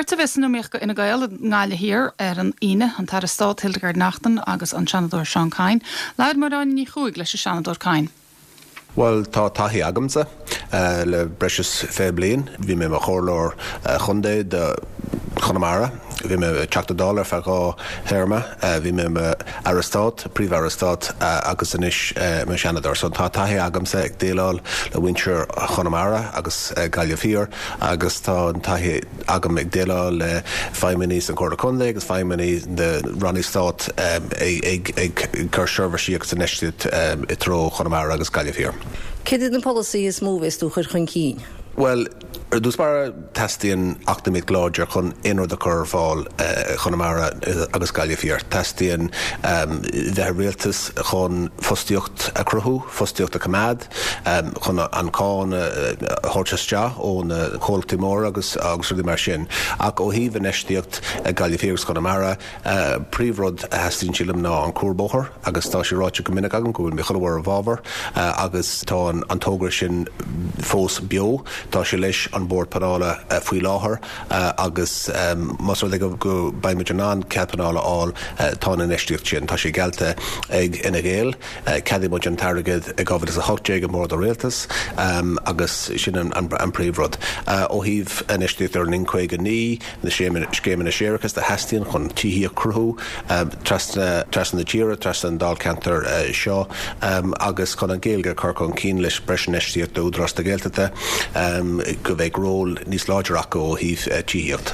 Beirt a bheas san iomaíocht do Fhine Gael i nGaillimh Thiar ar an Aoine, an tAire Stáit Hildegarde Naughton agus an Seanadóir Seán Kyne. Labhair Máire Áine Ní Chuaig leis an Seanadóir Kyne. Bhuel, tá taithí agamsa le breis is 20 bliain. Bhí mé i mo chomhairleoir chontae do Chonamara, bhí mé i mo Teachta Dála ar feadh 2 théarma, bhí mé i mo Aire Stáit, Príomh-Aire Stáit agus anois i mo Sheanadóir. So tá taithí agamsa ag déileáil le muintir Chonamara agus Gaillimh Thiar agus tá an taithí agam ag déileáil le feidhmeannaigh san Chomhairle Contae agus feidhmeannaigh na Rannaí Stáit ag cur seirbhísí agus infheistíocht i dtreo Chonamara agus Gaillimh Thiar. Céard iad na polasaithe is mó a bheas tú a chur chun cinn? Bhuel, ar dtús báire, teastaíonn eacnamaíocht láidir chun aon rud a chur ar fáil i Chonamara agus Gaillimh Thiar. Teastaíonn bheith i rialtas chun fostaíocht a chruthú, fostaíocht a choimeád. chun an cáin a thabhairt isteach ó na comhlachtaí móra agus rudaí mar sin. Ach ó thaobh infheistíocht i Gaillimh Thiar agus Conamara, príomhrud a theastaíonn sílim ná an cuarbhóthar agus tá sé ráite go minic agam go bhfuil mé chuile uair i bhfabhar agus tá an togra sin fós beo. Tá sé leis an Bord Pleanála faoi láthair agus más rud é go mbeidh muid in ann cead pleanála a fháil tá an infheistíocht sin, tá sé geallta ag Fhine Gael. Cheadaigh muid an t-airgead i 2018 i mBord an Rialtais agus sin an príomhrud. Ó thaobh infheistíocht ar an N59, na scéimeanna séarachais a theastaíonn chun tithíocht a chruthú trasna trasna na tíre, trasna an dáilcheantair seo agus chun an Ghaeilge a chur chun cinn leis breis infheistíocht d'Údarás na Gaeltachta go mbeidh ról níos láidre acu ó thaobh tithíocht.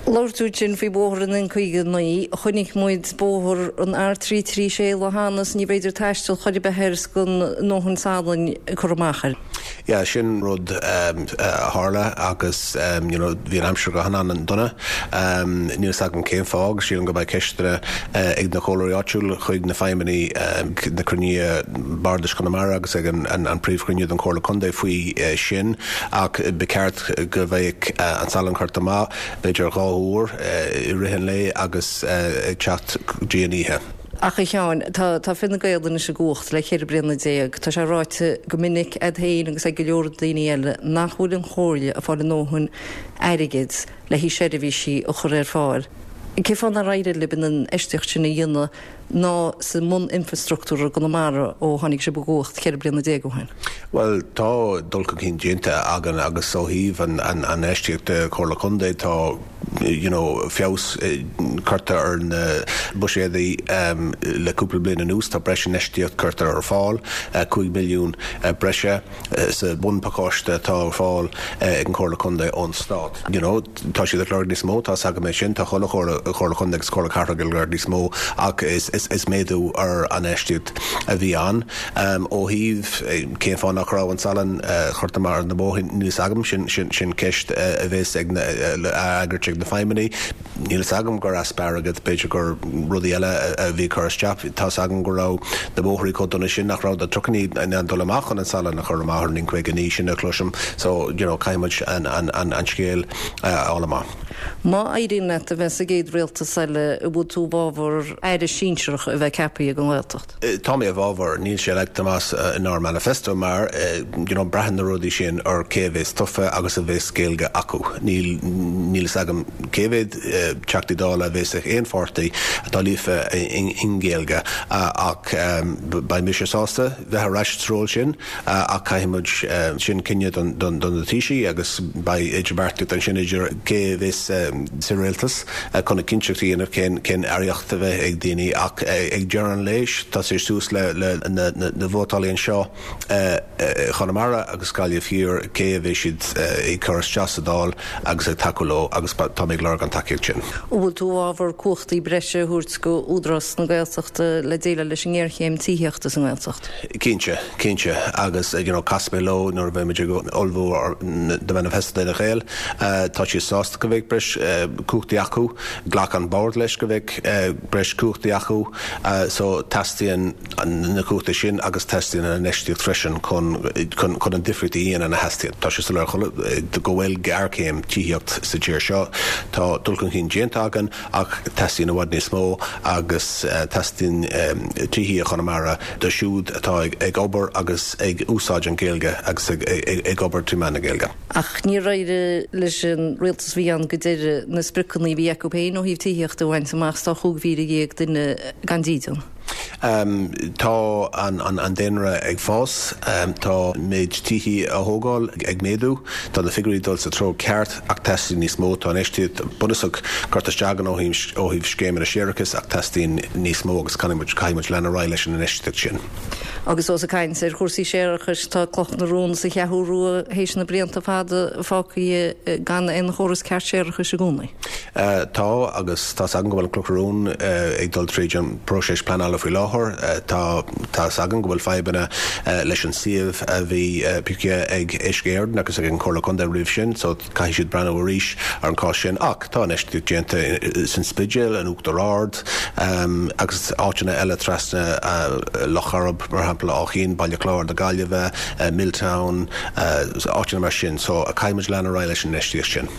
Labhair tú ansin faoi bhóthar an N59. Chonaic muid bóthar an R336 lá cheana is níorbh fhéidir taisteal chor ar bith air is gan a ndóthain salainn curtha amach air. Yeah, sin rud a tharla agus you know bhí an aimsir go han-dona. Níl fhios agam cén fáth agus sílim go mbeidh ceisteanna ag na comhairleoirí áitiúil chuig na feidhmeannaigh ag na cruinnithe Bardais Chonamara agus ag an príomhchruinniú den Chomhairle Contae faoi sin ach ba cheart go mbeadh an salann curtha amach b'fhéidir 2 uair i rith an lae agus ag teacht go dtí an oíche. Ach a Sheáin, tá tá Fine Gael anois i gcumhacht le 14 bliana. Tá sé ráite go minic a'd féin agus ag go leor daoine eile nach bhfuil an Chomhairle ag fáil a ndóthain airgid le haghaidh seirbhísí a chur ar fáil. Cén fáth nár éirigh libh an infheistíocht sin a dhéanamh ná sa mbun-infreastruchtúr i gConamara ó tháinig sibh i gcumhacht 14 bliana ó shin? Bhuel, tá dul chun cinn déanta againn agus ó thaobh an infheistíocht de Chomhairle Contae tá you know feabhas curtha ar na buiséadaí le cúpla bliain anuas. Tá breis infheistíocht curtha ar fáil, 5 milliún breise. sa bhunphacáiste atá ar fáil ag an Chomhairle Contae ón Stát. You know, tá siad ag lorg níos mó, tá's agam é sin, tá chuile Chomhairle Contae agus Comhairle Cathrach ag lorg níos mó ach is méadú ar an infheistíocht a bhí ann. Ó thaobh cén fáth nach raibh an salann curtha amach ar na bóithre, níl fhios agam, sin ceist a bheas ag na, a fhreagairt ag na feidhmeannaigh. Níl fhios agam gur easpa airgid, b'fhéidir gur rudaí eile a bhí ag cur isteach. Tá's agam go raibh na bóithrí chomh dona sin nach raibh na trucannaí in ann dul amach chun an salann a chur amach ar an N59, sin a chloisim. So, you know, caithfidh muid an scéal a fháil amach. Má éiríonn leat a bheith sa gcéad rialtas eile, an bhfuil tú i bhfabhar aire sinsearach a bheith ceaptha ag an nGaeltacht? Tá mé i bhfabhar, níl sé leagtha amach inár manifesto mar you know braitheann na rudaí sin ar cé a bheas tofa agus a bheas Gaeilge acu. Níl níl fhios agam cé mhéad Teachtaí Dála a bheas ag aon pháirtí atá líofa i nGaeilge ach beidh mise sásta bheith ar ais sa ról sin. Ach caithfidh muid sin cinneadh do na Taoisigh agus beidh idirbheartaíocht ansin idir cé a bheas sa rialtas chun a cinnteacht a dhéanamh cén cén aireacht a bheidh ag daoine. Ach ag deireadh an lae tá sé suas le na vótálaí anseo i Chonamara agus Gaillimh Thiar cé a bheidh siad ag cur isteach sa Dáil agus ag tacú leo agus tá mé ag lorg an tacaíocht sin. An bhfuil tú i bhfabhar cumhachtaí breise a thabhairt go Údarás na Gaeltachta le déileáil leis an ngéarchéim tithíochta sa nGaeltacht? Cinnte, cinnte. Agus you know casfaidh mé leo nuair a bheidh muid ag ullmhú the manifesto d'Fhine Gael. Tá siad sásta go mbeidh breis cumhachtaí acu. Ghlac an bord leis go mbeidh breis cumhachtaí acu. So teastaíonn na cumhachtaí sin agus teastaíonn an infheistíocht freisin chun chun an difríocht a dhéanamh a theastaíonn. Tá sé soiléir go bhfuil géarchéim tithíocht sa tír seo. Tá dul chun cinn déanta againn ach teastaíonn i bhfad níos mó agus teastaíonn tithí i Chonamara do siúd atá ag obair agus ag úsáid an Ghaeilge agus ag obair trí mheán na Gaeilge. Ach níor éirigh leis an rialtas a bhí ann go. deireadh na spriocanna a bhí acu féin ó thaobh tithíochta a bhaint amach 's tá 15,000 duine gan dídean. Tá an daonra ag fás, tá méid tithí á thógáil ag méadú, tá na figiúirí ag dul sa treo ceart ach teastaíonn níos mó. Tá infheistíocht bunúsach curtha isteach againn ó thaobh scéimeanna séarachais ach teastaíonn níos mó agus caithfidh muid lean ar aghaidh leis an infheistíocht sin. Agus ós ag caint ar chúrsaí séarachais, tá Cloch na Rón sa Cheathrú Rua théis na blianta fada fágtha gan aon chóras ceart séarachais i gcónaí. Tá, agus tá's agam go bhfuil an Cloch na Rón ag dul tríd an bpróiseas pleanála faoi láthair. Tá tá's agam go bhfuil fadhbanna leis an suíomh a bhí pioctha ag Uisce Éireann agus ag an Chomhairle Contae roimh sin, so caithfidh siad breathnú arís ar an chás sin. Ach tá infheistíocht déanta san Spidéal, in Uachtar Ard agus áiteanna eile trasna Loch Coirib, mar shampla, Áth Chinn, Baile Chláir na Gaillimhe, Milltown, áiteanna mar sin. So caithfidh muid lean ar aghaidh leis an infheistíocht sin.